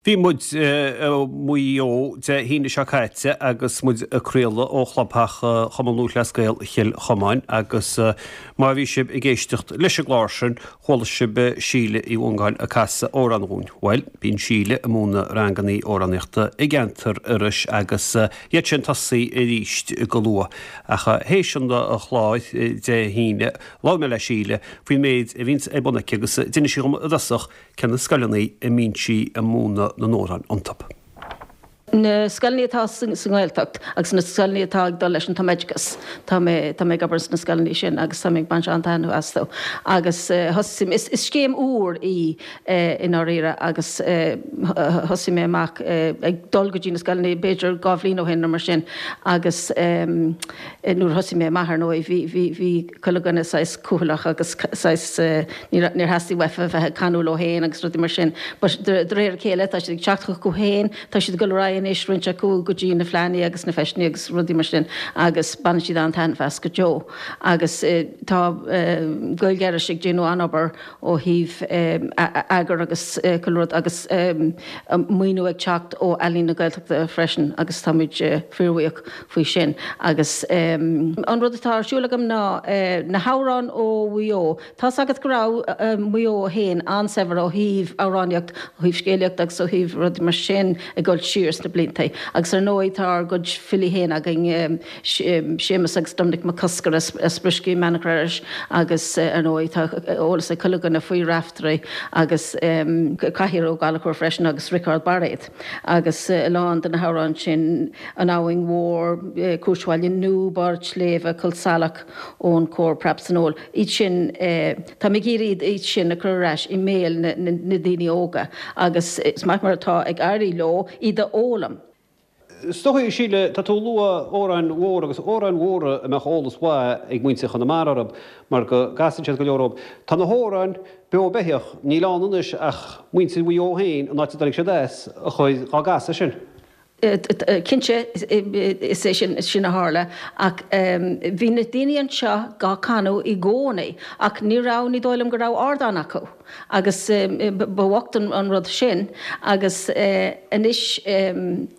Bhí muid i Maigh Eo Dé hAoine seo caite agus muid ag craoladh ó chlubtheach Chumann Lúthchleas Gael Chill Chomáin agus má bhí sibh ag éisteacht leis an gclár sin chuala sibh Síle Uí Mhongáin ag casadh amhrán dhúinn. Bhuel, bíonn Síle ag múineadh rangannaí amhránaíochta i gceantar Iorrais agus iad sin tosaí arís go luath. Ach théis an chláir Dé hAoine labhair mé le Síle faoin méid a bhíonns ar bun aici agus d'inis sí dhom i dtosach Cé na scoileanna a mbíonn sí ag múineadh na n-amhrán iontu? Na scoileanna atá sa nGaeltacht agus na scoileanna atá ag dul leis an tumoideachas. Tá mé, tá mé ag obair sna scoileanna sin agus tá mé ag baint an-taitneamh astu. Agus thosaigh, is scéim úr í i ndáiríre agus thosaigh mé amach ag dul go dtí na scoileanna b'fhéidir 2 bhliain ó shin nó mar sin agus nuair a thosaigh mé amach ar ndóigh bhí, bhí, bhí chuile dhuine saghas cúthaileach agus saghas Níor theastaigh uafa bheith ag canadh leo féin agus rudaí mar sin. But de réir a chéile tá siad ag teacht chucu féin, tá siad ag dul ar aghaidh anois, roinnt acu go dtí na fleánna agus na feiseanna agus rudaí mar sin agus baineann siad an-taitneamh as go deo. Agus tá Gaeilge Iorrais ag déanamh an-obair ó thaobh eagar agus chuile rud agus maoiniú ag teacht ó Ealaín na Gaeltachta freisin agus táimid fíorbhuíoch faoi sin. Agus an rud atá ar siúl agam ná na hamhráin ó Mhaigh Eo. Tá's agat go raibh Maigh Eo féin an-saibhir ó thaobh amhránaíocht, ó thaobh scéalaíocht agus ó thaobh rudaí mar sin ag dul siar sna blianta. Agus ar ndóigh tá ár gcuid filí féin againn, Séamus agus Doimnic Mac Cosgair as Brioscaí Manach Iorrais agus ar ndóigh tá eolas ag chuile dhuine faoi Raiftearaí agus Cathaoir Ó Gallchóir freisin agus Riocard Bairéad. Agus a lán de na hamhráin sin, An Abhainn Mhór, Cúirt Bhaile Nua, Barr tSléibhe, Col Salach, Ón Cór, Preab san Fheoil, iad sin, táim ag iarraidh iad sin a chur ar ais i mbéal na ndaoine óga agus is maith mar atá ag éirí leo iad a fhoghlaim. Is dóigh, a Shíle, tá tú ag lua amhráin mhóra agus amhráin mhóra a mbeadh eolas mhaith ag muintir Chonamara orthu mar go gcasann siad go leor dóibh. Tá na hamhráin beo beithíoch, níl ann anois ach muintir Mhaigh Eo féin, an áit a dtáinig siad as, a chuir dhá gcasadh sin. Cinnte, is é sin, sin a tharla ach bhí na daoine anseo dhá canadh i gcónaí ach ní raibh, ní dóigh liom go raibh ardán acu agus ba bhocht an rud sin agus anois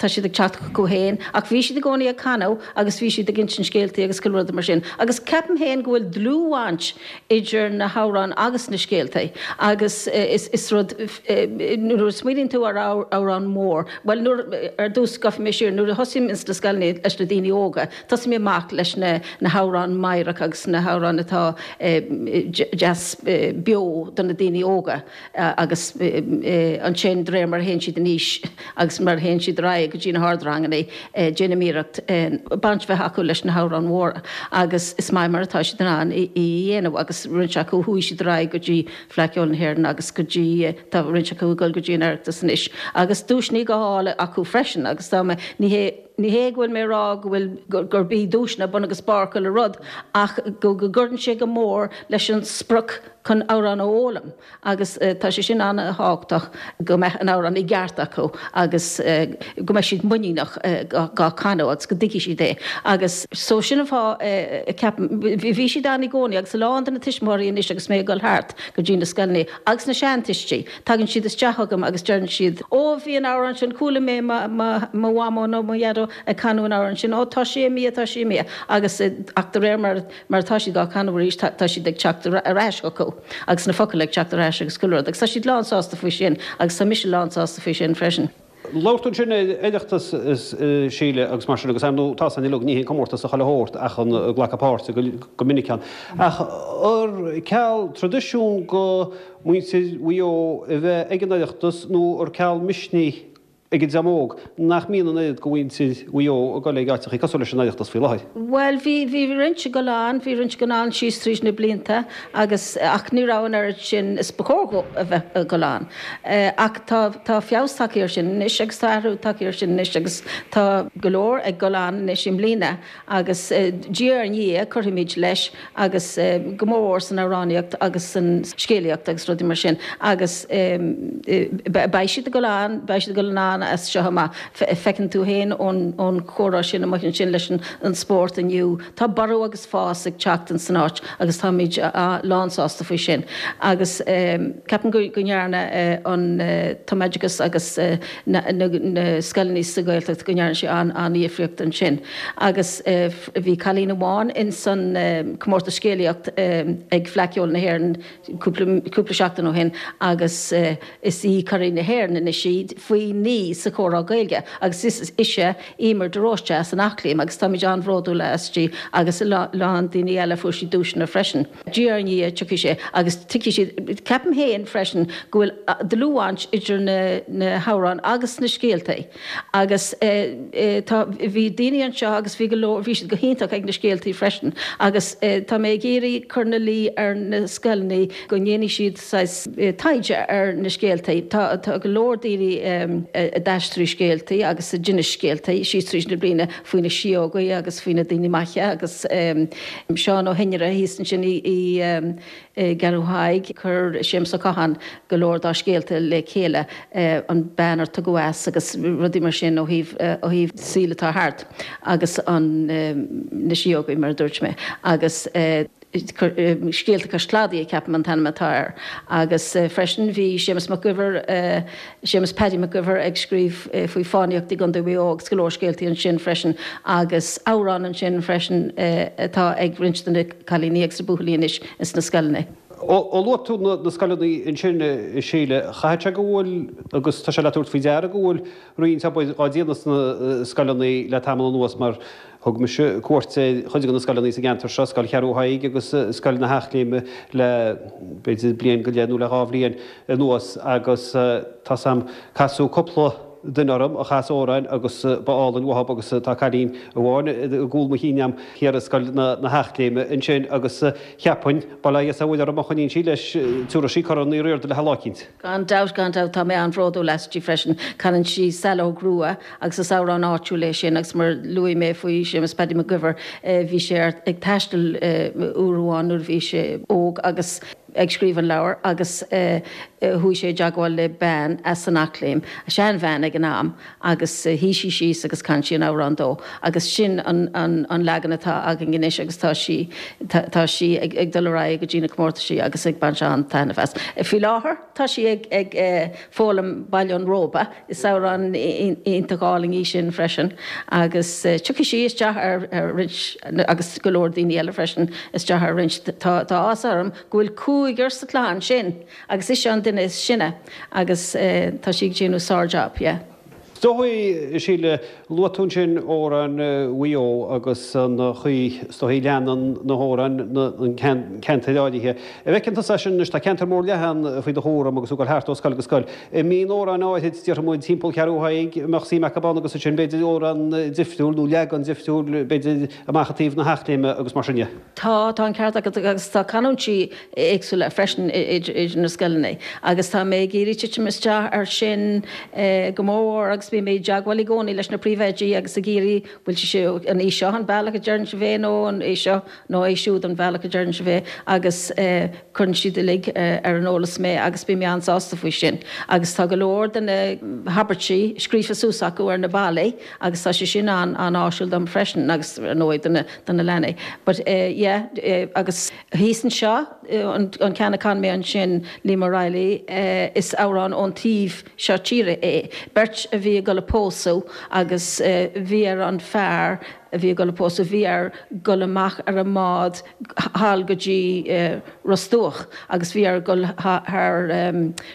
tá siad ag teacht chucu féin ach bhí siad i gcónaí ag canadh agus bhí siad ag insint scéaltaí agus chuile rud mar sin agus ceapaim féin go bhfuil dlúthbhaint idir na hamhráin agus na scéaltaí agus is rud, nuair a smaoiníonn tú ar amhrán mór, bhuel nuair, ar dtús gabhfaidh mé siar, nuair a thosaím ins na scoileanna leis na daoine óga, tosaím amach leis na na hamhráin meidhreach agus na hamhráin atá deas beo do na daoine óga. Agus ansin, de réir mar a théann siad in aois agus mar a théann siad ar aghaidh go dtí na hardranganna, déanaim iarracht baint bheith acu leis na hamhráin mhóra agus is maith mar atá siad in ann í a dhéanamh agus roinnt acu chuaigh siad ar aghaidh go dtí Fleadh Cheoil na hÉireann agus go dtí, tá roinnt acu ag dul go dtí an Oireachtas anois agus duaiseanna dhá fháil acu freisin agus dá mba, ní hé, ní hé go bhfuil mé ag rá go bhfuil, gurb í duaiseanna bun agus barr chuile rud ach go gcuireann sé go mór leis an sprioc chun amhrán a fhoghlaim agus tá sé sin an-thábhachtach go mbeadh an amhrán i gceart acu agus go mbeidh siad muiníneach dhá chanadh agus go dtuigfidh siad é agus so sin an fáth a ceapaim, bhí siad ann i gcónaí agus a lán de na tuismitheoirí anois agus mé ag dul thart go dtí na scoileanna agus na seantuistí, tagann siad isteach chugam agus deireann siad, ó bhí an amhrán sin, chuala mé mo mhamó nó mo dhaideo ag canadh an amhrán sin, ó tá sé imithe, tá sé imithe agus ach de réir mar Mar atá siad á canadh arís, tá siad ag teacht ar ais chucu agus na focail ag teacht ar ais agus chuile rud agus tá siad lán sásta faoi sin agus tá mise lán sásta faoi sin freisin. Labhair tú ansin ar Oireachtas a Shíle agus mar sin agus ar ndóigh tá a fhios againn uilig ní haon comórtas a chuile shórt ach an glacadh páirte go minic ann. Ach ar ceal traidisiún go muintir Mhaigh Eo a bheith ag an Oireachtas nó ar ceal misnigh ag an dream óg nach mbíonn an oiread go mhuintir Mhaigh Eo ag dul ag áiteachaí cosúil leis an Oireachtas faoi láthair. Bhuel, bhí, bhí roinnt ag dul ann, bhí roinnt ag dul ann síos tríd na blianta agus, ach ní raibh an oiread sin is ba chóir dhó a bheith ag dul ann. Ach tá, tá feabhas tagtha air sin anois agus tá athrú tagtha air sin anois agus tá go leor ag dul ann anois i mbliana agus diaidh ar ndiaidh cuirfimid leis agus go mór mhór san amhránaíocht agus san scéalaíocht agus rudaí mar sin agus beidh siad ag dul ann, beidh siad ag dul ann. ann as seo amach. Feiceann tú féin ón chomhrá sin amuigh ansin leis an spórt inniu, tá borradh agus fás ag teacht ins an áit agus táimid lánsásta faoi sin. Agus ceapaim go ndearna an tumoideachas agus na scoileanna sa Ghaeltacht, go ndearna sé an-dhifríocht ansin. Agus bhí cailín amháin ins an comórtas scéalaíocht ag Fleadh Cheoil na hÉireann cúpla seachtain ó shin agus is í curaidh na hÉireann anois í faoi 9 sa chomhrá Gaeilge agus is ise Emer de Róiste as an Eachléim agus táimid an-bhródúil aisti agus a lán daoine eile fuair siad duaiseanna freisin. Diaidh ar ndiaidh tiocfaidh sé agus tiocfaidh siad. Ceapaim féin freisin go bhfuil dlúthbhaint idir na hamhráin agus na scéaltaí agus tá, bhí daoine anseo agus bhí go leor, bhí siad go hiontach ag na scéaltaí freisin agus tá mé ag iarraidh cur ina luí ar na scoileanna go ndéanfaidh siad saghas taighde ar na scéaltaí. Tá tá go leor daoine a d'aistrigh scéaltaí agus a d'inis scéaltaí síos tríd na bliana faoi na síógaí agus faoi na daoine maithe agus Seán Ó hInnire thíos ansin i i gCeathrú Thaidhg, chuir Séamus Ó Catháin go leor dá scéalta le chéile, an bean ar tugadh as agus rudaí mar sin ó thaobh ó thaobh saoil atá thart agus an na síógaí mar a dúirt mé agus. Scéalta Cois Cladaigh, ceapaim an t-ainm atá air. Agus freisin bhí Séamus Mac Guibhir, Séamus Paddy Mac Guibhir ag scríobh faoi fánaíocht i gContae Mhaigh Eo agus go leor scéaltaí ansin freisin agus amhrán ansin freisin atá ag roinnt de na cailíní agus na buachaillí anois ins na scoileanna. Ó luaigh tú na scoileanna ansin, a Shíle, chaithfeadh sé go bhfuil, agus tá sé le tabhairt faoi deara go bhfuil roinnt obair á déanamh sna scoileanna le tamall anuas mar thug mise cuairt ar chuid de na scoileanna sa gceantar seo, Scoil Cheathrú Thaidhg agus Scoil na hEachléime le b'fhéidir bliain go leith nó le dhá bhliain anuas agus tá's a'm casadh cúpla duine orm a chas amhráin agus ba álainn uathub agus tá cailín amháin i gcúl mo chinn a'm thiar i Scoil na hEachléime ansin agus cheapfainn, bail ó Dhia 's ó Mhuire uirthi má choinníonn sí leis, tabharfaidh sí Corn Uí Riada léi lá eicínt. Gan dabht, gan dabht, tá mé an-bhródúil aisti freisin. Canann sí Saileog Rua agus is amhrán áitiúil é sin agus mar luaigh mé faoi Séamus Paddy Mac Guibhir, bhí sé ag taisteal uair amháin nuair a bhí sé óg agus ag scríobh an leabhair agus chuaigh sé i dteagmháil le bean as an Eachléim, seanbhean ag an am, agus shuigh sí síos agus chan sí an amhrán dó agus sin an leagan atá againn anois agus tá sí tá sí ag dul ar aghaidh go dtí na comórtaisí agus ag baint an-taitneamh as. Faoi láthair tá sí ag ag foghlaim Baile an Róba, is amhrán iontach álainn í sin freisin agus tiocfaidh sí isteach ar roinnt agus go leor daoine eile freisin isteach ar roinnt tá tá áthas orm go bhfuil cúigear sa chlann sin. Agus ise an duine is sine agus tá sí ag déanamh sár-jab, yeah. Is dóigh, a Shíle, luaigh tú ansin amhráin Mhaigh Eo agus an chaoi, is dóigh, leanann na hamhráin an ceantair áirithe. An bhfeiceann tusa é sin anois, tá ceantar mór leathan faoi do chúram agus tú ag dul thart ó scoil go scoil. An mbíonn amhráin áirid, déarfaidh muid, timpeall Cheathrú Thaidhg, a mbeadh suim acu ann agus ansin b'fhéidir amhrán difriúil nó leagan difriúil b'fhéidir amach i dtaobh na hEachléime agus mar sin de? Tá, tá an ceart agat agus tá canúintí éagsúla freisin idir na scoileanna agus tá mé ag iarraidh titim isteach air sin go mórmhór agus bím i dteagmháil i gcónaí leis na príomhoidí agus ag iarraidh bhfuil sé an í seo an bealach a deireann sibh é nó an é seo nó é siúd an bealach a deireann sibh é agus cuireann siad uilig ar an eolas mé agus bím an-sásta faoi sin agus tá go leor de na habairtí scríofa suas acu ar na ballaí agus tá sé sin an-áisiúil dom freisin agus ar ndóigh do na leanaí but yeah agus Thíos anseo, an ceann a chan mé ansin, Liam O'Reilly, is amhrán ón taobh seo tíre é. Beirt a bhí ag dul a pósadh agus bhí ar an fear a bhí ag dul a pósadh, bhí air dul amach ar an mbád thall go dtí Ros Dumhach agus bhí air dul thar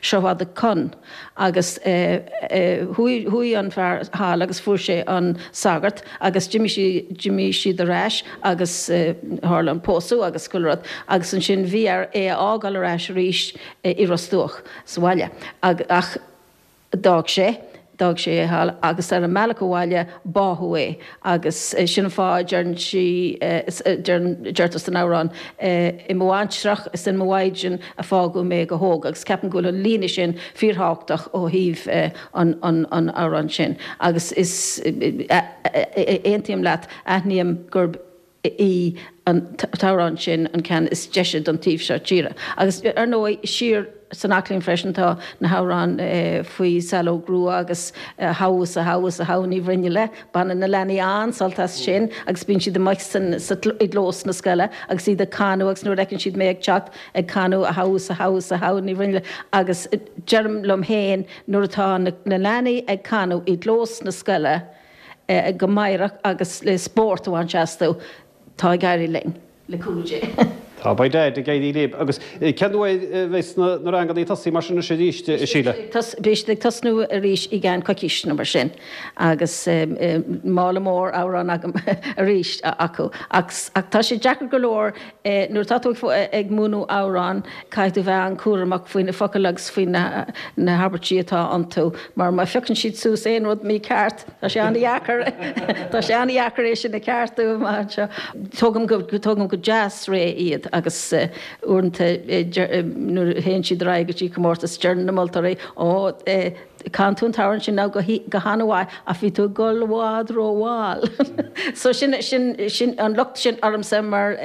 Sruth Mhadadh Con. Agus chuaigh an fear thall agus fuair sé an sagart agus d'imigh sí, d'imigh siad ar ais agus tharla an pósadh agus chuile rud agus ansin bhí air é a fhágáil ar ais arís i Ros Dumhach sa bhaile ach d'fhág sé, d'fhág sé é thall agus ar an mbealach abhaile báthadh é agus sin an fáth a deireann sí, deirtear san amhrán, I mo bhaintreach is in mo mhaighdean a fágadh mé go hóg agus ceapaim go bhfuil an líne sin fíorthábhachtach ó thaobh an amhráin sin agus is, aontaím leat, aithním gurb í an t-amhrán sin an ceann is deise don taobh seo tíre. Agus ar ndóigh, siar. San Aclaím freisin tá na hamhráin faoi Saileog Rua agus A Shamh is a Shamh is a Shamh Ní Bhruinnealla. Baineann na leanaí an-sult as sin agus bíonn siad amuigh san i gclós na scoile agus iad ag canadh agus nuair a fheiceann siad mé ag teacht ag canadh A Shamh is a Shamh is a Shamh Ní Bhruinnealla agus deirim liom féin nuair atá na leanaí ag canadh i gclós na scoile go meidhreach agus le spórt a bhaint astu tá ag éirí linn. Le cúnamh Dé. Tá, beidh ag éirí libh. Agus cén uair a bheas na ranganna ag tosaí mar sin anois arís, a Shíle? Beidh siad ag tosnú arís i gceann coicís nó mar sin agus mála mór amhrán agam arís acu. Ach tá sé deacair go leor nuair atá tú ag múineadh amhrán caithfidh tú bheith an-chúramach faoi na focail agus faoi na habairtí atá iontu mar má phiocann siad suas aon rud mícheart Tá sé an-dheacair, tá sé an-dheacair é sin a cheartú amach anseo. Tógaim go, tógaim go deas réidh iad agus uaireanta nuair a théann siad ar aghaidh go dtí comórtas deireann na moltóirí, Ó, chan tú an t-amhrán sin now go han-mhaith ach bhí tú ag dul i bhfad ró-mhall. So sin, sin, sin an locht sin ormsa mar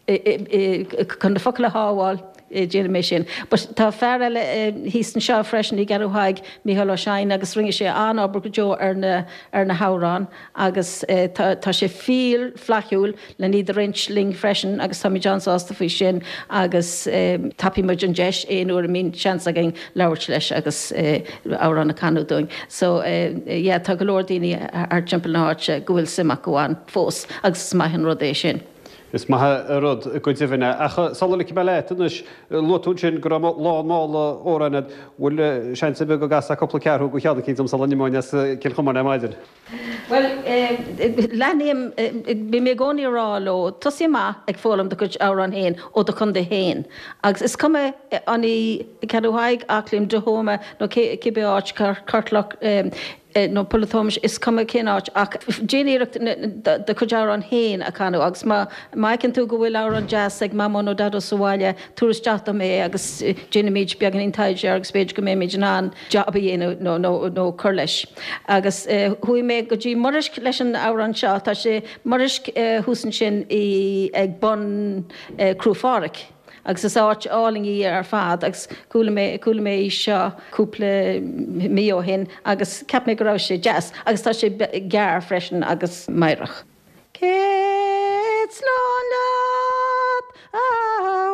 chun na focail a shábháil. Déanaim é sin. But tá fear eile thíos anseo freisin i gCeathrú Thaidhg, Mícheál Ó Seighin, agus rinne sé an-obair go deo ar na, ar na hamhráin agus tá, tá sé fíor flaithiúil len iad a roinnt linn freisin agus táimid an-sásta faoi sin agus tapaíonn muid an deis aon uair a mbíonn seans againn labhairt leis agus amhrán a chanadh dúinn. So yeah, tá go leor daoine thart timpeall na háite go bhfuil suim acu ann fós agus is maith an rud é sin. Is maith an rud go deimhin é. Ach sula ligfidh mé leat anois, luaigh tú ansin go raibh lán mála amhrán agat. Bhfuil seans ar bith go gcasfá cúpla ceathrú de cheann eicínt dom sula n-imeoinn as Cill Chomáin ar maidin? Bhuel, leathnaím, bím i gcónaí ag rá leo, tosaigh amach ag foghlaim do chuid amhrán féin ó do chontae féin. Agus is cuma an í Ceathrú Thaidhg, Aclaím, Dúthóma nó cibé áit, Corrchloch, nó Poll a' Thómais, is cuma cén áit, ach déan iarracht do chuid amhrán féin a chanadh agus má fheiceann tú go bhfuil amhrán deas ag Mamó nó Daideo sa bhaile, tabhair isteach dom é agus déanfaimid beagáinín taighde air agus b'fhéidir go mbeimid in ann jab a dhéanamh nó cur leis. Agus chuaigh mé go dtí Muraisc leis an amhrán seo, tá sé, Muraisc thuas ansin ag bun Cruach Phádraig. Agus is áit álainn í ar fad agus chuala mé, chuala mé í seo cúpla mí ó shin agus cheap mé go raibh sé deas agus tá sé gearr freisin agus meidhreach. Céad slán leat a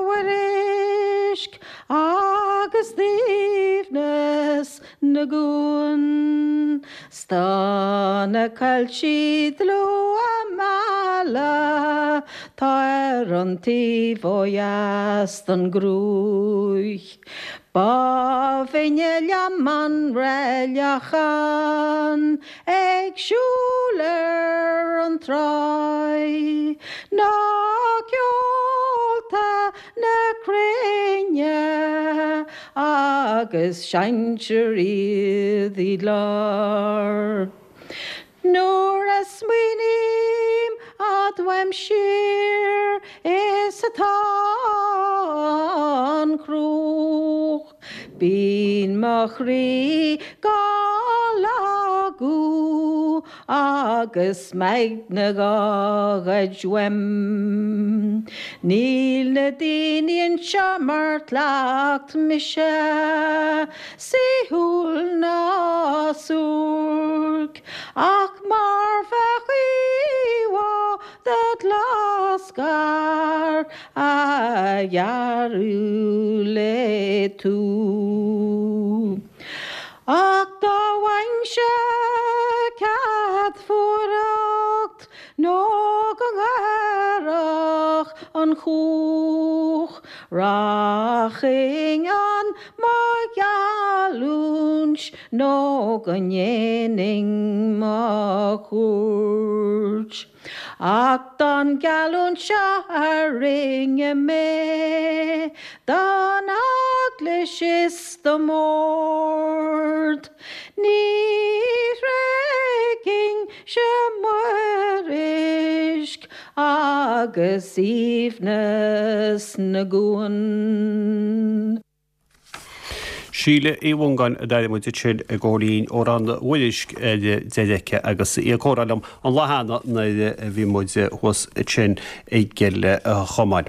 Mhuirisc agus d'aoibhneas na gcuan. 'S tá na coilltí dlúth á mealladh 'tá ar an taobh ó dheas den gCruaich. Ba bhinne liom an roilleachán ag siúl ar an tráigh ná ceolta na cruinne agus seinntear iad i gclár. Nuair a smaoiním fhad uaim siar is atá an Chruach, bíonn mo chroí dhá lagú agus m'aigne dhá ghoid uaim. Níl na daoine anseo mar chleacht mise, saoithiúil ná suairc, ach mar bheadh íomhá de ghlasghar a ghearradh le tuí. Ach dá bhfaighinnse cead fuireacht nó go ngairfeadh an chuach, rachainn ann mo gheallúint nó go ndéanfainn mo chuairt. Ach don gheallúint seo a rinne mé don Eaglais is do m'Ord, ní thréigfinnse Muirisc agus aoibhneas na gcuan. Síle Uí Mhongáin a d'airigh muid ansin ag ól linn amhrán Mhuirisc ar deireadh aici agus í ag comhrá liom an lá cheana nuair a bhí muid thuas ansin i gCill Chomáin.